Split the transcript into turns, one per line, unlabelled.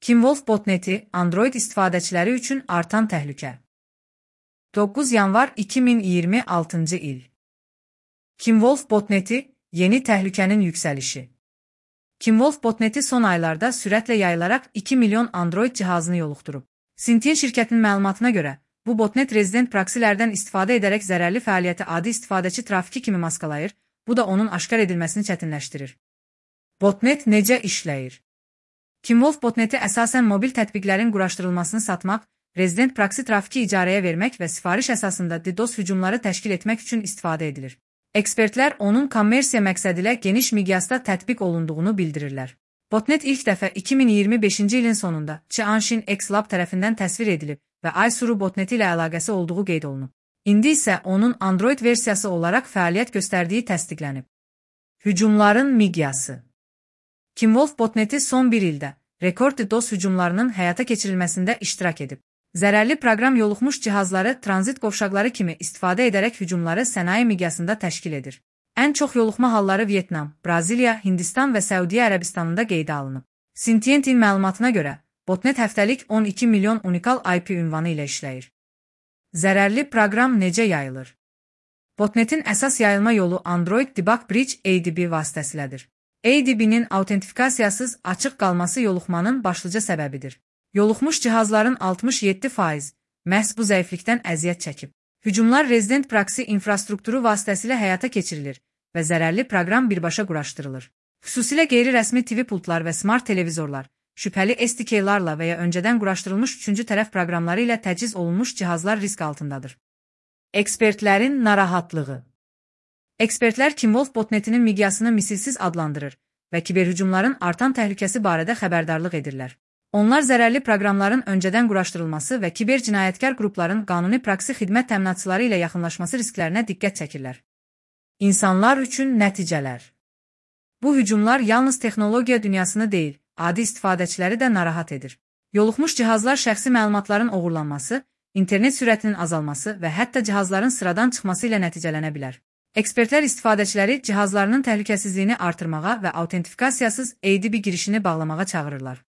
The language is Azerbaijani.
Kimwolf botneti Android istifadəçiləri üçün artan təhlükə. 9 yanvar 2026 il. Kimwolf botneti yeni təhlükənin yüksəlişi. Kimwolf botneti son aylarda sürətlə yayılaraq 2 milyon Android cihazını yoluxdurub. Syntien şirkətinin məlumatına görə, bu botnet rezident proksilərdən istifadə edərək zərərli fəaliyyəti adi istifadəçi trafiki kimi maskalayır, bu da onun aşkar edilməsini çətinləşdirir. Botnet necə işləyir? Kimwolf botneti əsasən mobil tətbiqlərin quraşdırılmasını satmaq, rezident proksi trafiki icarəyə vermək və sifariş əsasında DDoS hücumları təşkil etmək üçün istifadə edilir. Ekspertlər onun kommersiya məqsədilə geniş miqyasda tətbiq olunduğunu bildirirlər. Botnet ilk dəfə 2025-ci ilin sonunda Qianshin X-Lab tərəfindən təsvir edilib və Aysuru botneti ilə əlaqəsi olduğu qeyd olunub. İndi isə onun Android versiyası olaraq fəaliyyət göstərdiyi təsdiqlənib. Hücumların miqyası. Kimwolf botneti son bir ildə rekord DDoS hücumlarının həyata keçirilməsində iştirak edib. Zərərli proqram yoluxmuş cihazları tranzit qovşaqları kimi istifadə edərək hücumları sənaye miqyasında təşkil edir. Ən çox yoluxma halları Vyetnam, Braziliya, Hindistan və Səudiyyə Ərəbistanında qeydə alınıb. Syntientin məlumatına görə, botnet həftəlik 12 milyon unikal IP ünvanı ilə işləyir. Zərərli proqram necə yayılır? Botnetin əsas yayılma yolu Android Debug Bridge ADB vasitəsilədir. ADB-nin autentifikasiyasız açıq qalması yoluxmanın başlıca səbəbidir. Yoluxmuş cihazların 67% məhz bu zəiflikdən əziyyət çəkib. Hücumlar rezident proksi infrastrukturu vasitəsilə həyata keçirilir və zərərli proqram birbaşa quraşdırılır. Xüsusilə qeyri-rəsmi TV pultlar və smart televizorlar, şübhəli SDK-larla və ya öncədən quraşdırılmış üçüncü tərəf proqramları ilə təchiz olunmuş cihazlar risk altındadır. Ekspertlərin narahatlığı. Ekspertlər Kimwolf botnetinin miqyasını misilsiz adlandırır və kiberhücumların artan təhlükəsi barədə xəbərdarlıq edirlər. Onlar zərərli proqramların öncədən quraşdırılması və kiber cinayətkar qrupların qanuni proksi xidmət təminatçıları ilə yaxınlaşması risklərinə diqqət çəkirlər. İnsanlar üçün nəticələr. Bu hücumlar yalnız texnologiya dünyasını deyil, adi istifadəçiləri də narahat edir. Yoluxmuş cihazlar şəxsi məlumatların oğurlanması, internet sürətinin azalması və hətta cihazların sıradan çıxması ilə nəticələnə bilər. Ekspertlər istifadəçiləri cihazlarının təhlükəsizliyini artırmağa və autentifikasiyasız ADB girişini bağlamağa çağırırlar.